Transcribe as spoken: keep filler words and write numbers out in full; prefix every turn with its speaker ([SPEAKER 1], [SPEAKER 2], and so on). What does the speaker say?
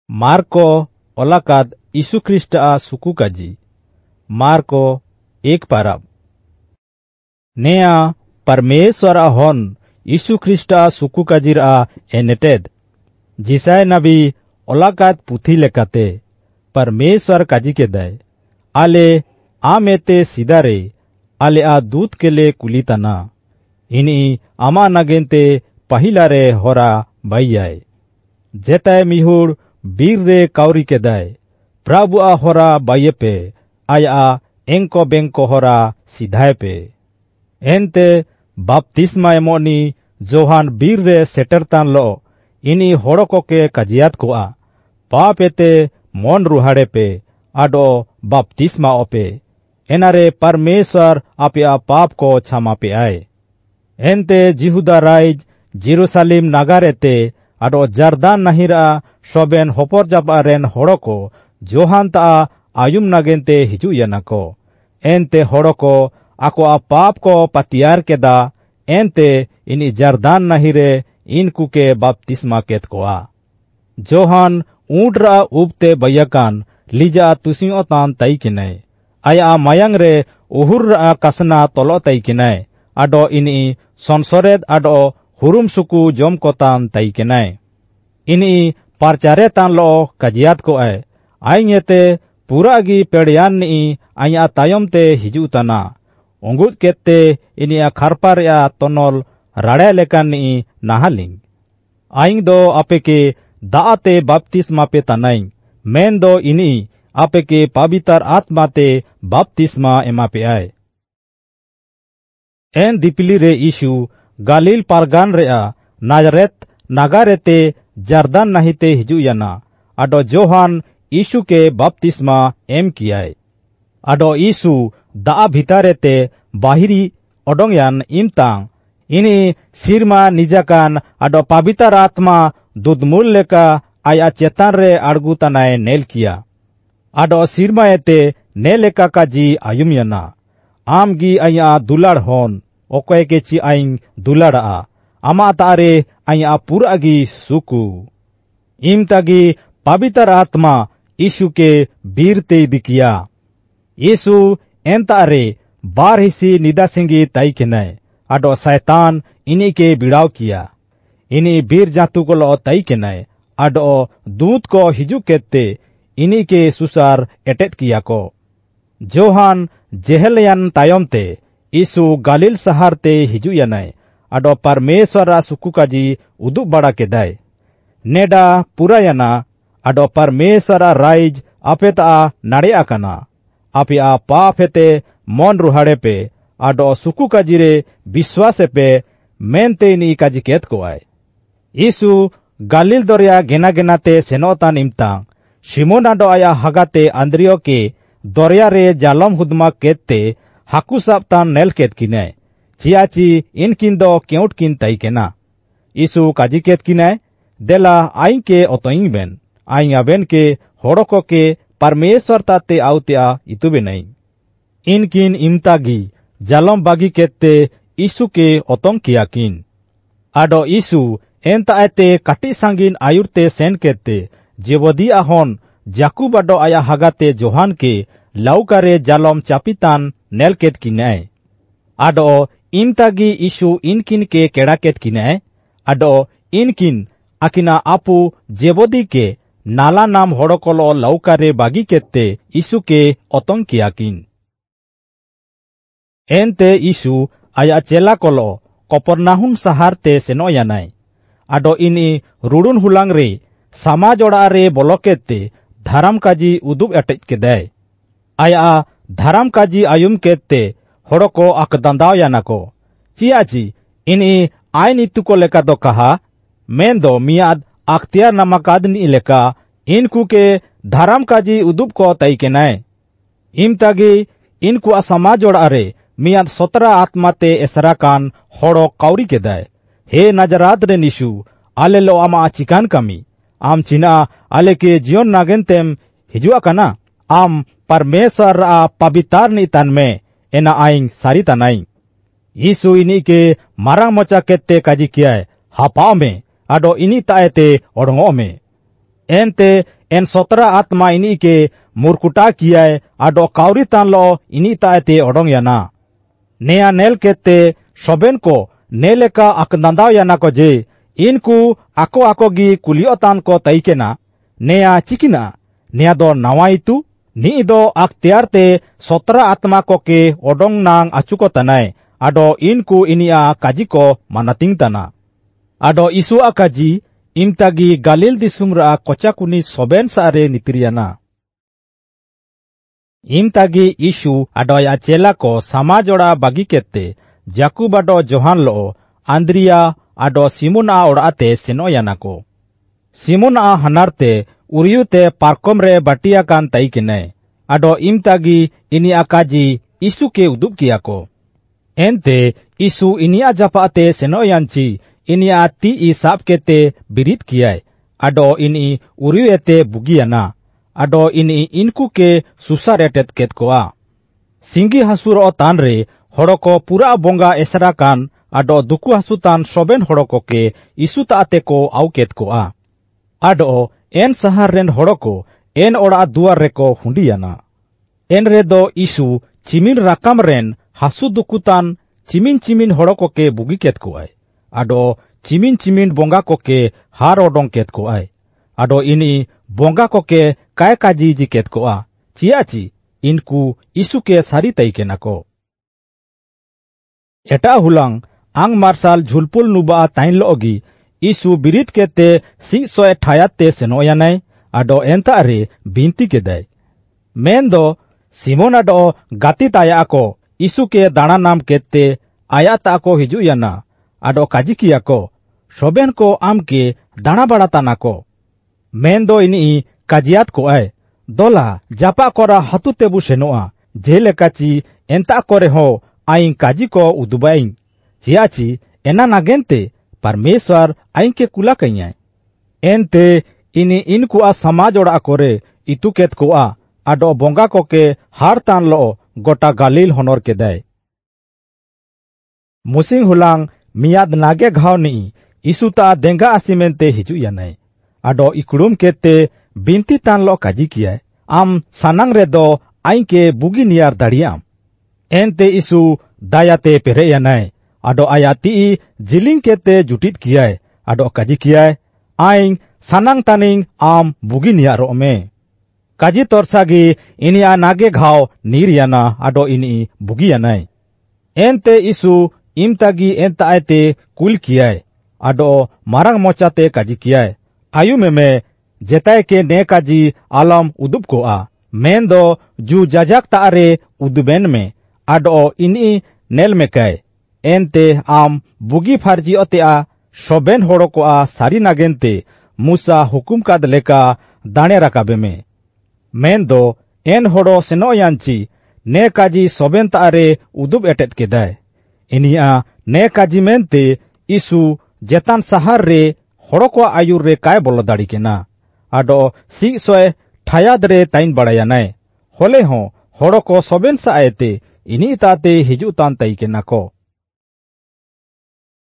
[SPEAKER 1] Marco ओलाकाद यीशु ख्रीष्ट आ सुकु काजी Marco एक पाराब नेया परमेश्वर हन यीशु ख्रीष्ट आ सुकु काजीर आ एनेटेद जिसाय नबी ओलाकाद पुथी लेकाते परमेश्वर काजी केदाय आले आमेते सिदारे आले आ दूत केले कुलिताना इनी आमा नागेनते पहिलारे होरा बाइयाय जेताय मिहुड़ बीर रे काउरी केदाय प्रभु आ होरा बाइये पे आया एंको बेंको होरा सिधाय पे एनते बाप्तिस्मा एमोनी जोहान बीर रे सेटरतान लो इनी होड़ो के काजियात कोआ पापेते मन रुहाड़े पे आडो बाप्तिस्मा ओपे एनारे परमेश्वर आपिया पाप को क्षमा पे आए एनते जिहुदा राइज जेरूसालेम नागारेते आडो जर्दान नाहिरा सोबेन होपर जापा रेन होड़ो को जोहान ता आयुम नागेनते हिजु यानाको एनते होड़ो को आको पाप को पतियार केदा एनते इनी जर्दान नाहिरे इनकु के बाप्तिस्मा केत कोआ जोहान ऊंट रा उबते बयाकान लिजा तुसिंग तान ताई किनाय आया मायांग रे उहुर रा कसना तलो ताई किनाय आडो इनी संसरेद आडो हुरुम सुकु जम कोतान ताई किनाय इनी पारचारे तान लो काजियात को आए आइंगेते पूरा गी पेड़ियान नी आया तायम ते हिजु तना उंगुत केते इनी खारपार या तनल राड़े लेकान नी नाहालिंग आइंग दो आपेके दाआते बाप्तिस्मा पे तानाइंग मेन दो इनी आपेके पाबितार आत्माते बाप्तिस्मा एमा पे आए एन दिपिली रे यीशु गालिल पारगान रेआ नाजरेत नागारेते जर्दान नाहिते हिजु याना आडो जोहान यीशु के बाप्तिस्मा एम कियाय आडो यीशु दा भितारेते बाहिरी ओडोंगयान इमतांग इनी सिरमा निजाकान आडो पाबितार आत्मा दुदमुल लेका आया चेतान रे आड़गु तनाय नेल किया आडो सिरमाएते नेलेका काजी आयुम याना आम गी आया दुलाड़ होन ओकय के ची आइंग दुलाड़ा आमा तारे आया पूरा गी सुकु इमतागी पाबितार आत्मा यीशु के बीर ते दिकिया यीशु एनतारे बार हिसी निदा सिंगी ताई केनाय आडो शैतान इनी के बिड़ाव किया इनी बीर जातु को लो ताई केनाय आडो दूत को हिजु केते इनी के सुसार एटेत किया को जोहान जेहलयान तायम ते यीशु गालिल सहार ते हिजु यानाय आडो परमेश्वर सुकु काजी उदुक बड़ा केदाय नेडा पूरा याना आडो परमेश्वर राइज आपेता नाड़े आकाना आपिया पाप हेते मन रुहाड़े पे आडो सुकु काजी रे विश्वास पे मेनते इनी काजी केत को आए यीशु गालिल दरिया गेना गेनाते सेनोतान इमतांग सिमोन आडो आया हागाते आंद्रियो के दरिया रे जालम हुदमा केते हाकू साबतान नेल केत किनाय चियाची इनकिन दो केउट किन ताई केना यीशु काजी केत किनाय देला आइन के ओतोइंग बेन आइन आबेन के होड़ो के परमेश्वर ताते आउतिया इतु बेनाई इनकिन इमतागी जालम बागी केते यीशु के ओतोंग किया किन आडो यीशु एनताएते काटी सांगिन आयुरते सेन केते जेबदी आहोन जाकुब आडो आया हागाते जोहान के लाउकारे जालम चापितान नेल केत किनाय आडो इमतागी यीशु इनकिन के केड़ा केत किनाय आडो इनकिन आकिना आपू जेबदी के नाला नाम होड़ो लाउकारे बागी केते यीशु के ओतोंग किया किन एनते यीशु आया चेला कोलो कपरनाहुम सहारते सेनो यानाय आडो इनी रुडुन हुलांग रे समाज ओड़ा रे बोलकेते धाराम काजी उदुब एटेज केदाय आया धाराम काजी आयुम केते होड़ो को आकदांदाव यानाको चियाची इनी आइन इतु को लेका दो कहा मेन दो मियाद अख्तियार नमकादनी लेका इनकु के धाराम काजी उदुब को ताई केनाय इमतागी इनकु समाज ओड़ा रे मियाद सतरा आत्माते एसरा कान होड़ो काउरी केदाय हे नाजरात रे निशु आले लो आमा चिकान कामी आम चिना आले के जियन नागेनतेम हिजुआ काना आम परमेश्वर रा पवितार नी तान में एना आइंग सारी तानाई यीशु इनी के मारांग मोचा केते काजी कियाय हापाव में आडो इनी ताएते ओडोंगो में एनते एन सतरा आत्मा इनी के मुरकुटा कियाय आडो काउरी तान लो इनी तायते ओडोंग याना। नेया नेल केते सोबेन को नेलेका अकदांदाव याना को जे इनकु आको आको गी कुलियो तान को तैकेना नेया चिकिना नेया दो नवाइतु नी दो अख्तियार ते सतरा आत्मा को के ओडोंग नांग आचुको तनाय आडो इनकु इनिया काजी को मानातिंग तना। आडो इसुआ काजी इमतागी गालिल दिसुमरा कोचाकुनी सोबेन सारे नितिरियाना। इमतागी यीशु आडोया चेला को समाजोड़ा बागी केते जाकूब आडो जोहान लो आंद्रिया आडो सिमुन आ ओड़ाते सेनोयाना को। सिमुन आ हनारते उरियुते पारकम रे बाटिया कान ताई आडो इमतागी इनिया काजी यीशु के उदुब किया को। एनते यीशु इनिया जापाते सेनोयानची इनिया ती ई साप केते बिरित कियाय आडो इनी उरियुएते बुगियाना आडो इनी इनकु के सुसार एटेत केत कोआ। सिंगी हासुरो तान रे होड़ो पूरा बोंगा एसरा कान आडो दुकु हासुतान सोबेन होड़ो को के इसु ताते को आउ केत कोआ। आडो एन सहार रेन होड़ो को एन ओड़ा दुआर रेको हुंडियाना। एन रे दो इसु चिमिन राकाम रेन हासु दुकुतान चिमिन चिमिन होड़ो को के बुगी केत कोआय आडो चिमिन चिमिन बोंगा को के हार ओडोंग केत कोआय आडो इनी बोंगा को के काय काजी जी केत कोआ चियाची इनकु इसु के सारी तई के नाको। एटा हुलांग आंग मार्शाल झुलपुल नुबा ताइन लोगी इसु बिरित केते सी सोए ठायाते सेनोयानाय आडो एंता रे बिनती केदाय। मेन दो सिमोन आडो गाती ताया को इसु के दाना नाम केते आया ताको हिजुयाना आडो काजी को सोबेन को आम के दाना बाड़ा ताना को। मेन दो इनी काजियात को आय दोला जापा कोरा हातु तेबु सेनोआ जेलेकाची एंता करे हो आइन काजी को उदुबाइन चियाची एना नागेनते परमेश्वर आइन के कुला कइयाय। एनते इनी इनकुआ समाज ओड़ा करे इतुकेत कोआ आडो बोंगा को के हार तान लो गोटा गालिल होनर केदाय। मुसिंग हुलांग मियाद नागे घाव नी इसुता देंगा आसिमेनते हिजु यानाय आडो इकुड़ुम केते बिनती तान लो काजी कियाय आम सानांग रे दो आइन के बुगी नियार दाड़ियाम। एनते इसु दायाते पेरे यानाय आडो आयाती जिलिंग केते जुटित कियाय आडो काजी कियाय आइन सानांग तानिंग आम बुगी नियारो मे। काजी तोरसागी इनिया नागे घाव नीर याना आडो इनी बुगी यानाय। एनते इसु इमतागी एनता आयते कुल कियाय आडो मारांग मोचाते काजी कियाय आयु मेमे जेताय के ने काजी आलम उदुब कोआ मेन दो जू जाजाक तारे उदुबेन में आडो इनी नेल मेकाय। एनते आम बुगी फार्जी ओतेआ सोबेन होड़ो कोआ सारी नागेनते मुसा हुकुम काद लेका दाणे राकाबे में। मेन दो एन होड़ो सेनोयानची ने काजी सोबेन तारे उदुब एटेत केदाय। इनिया ने काजी मेनते इसु जेतान सहार रे होड़ो को आयुर रे काय बोलो दाड़ी केना आडो सी सोए ठायाद रे ताइन बाड़ायानाय होले हो होड़ो को सोबेन सा आयते इनी ताते हिजु तान तई केना को।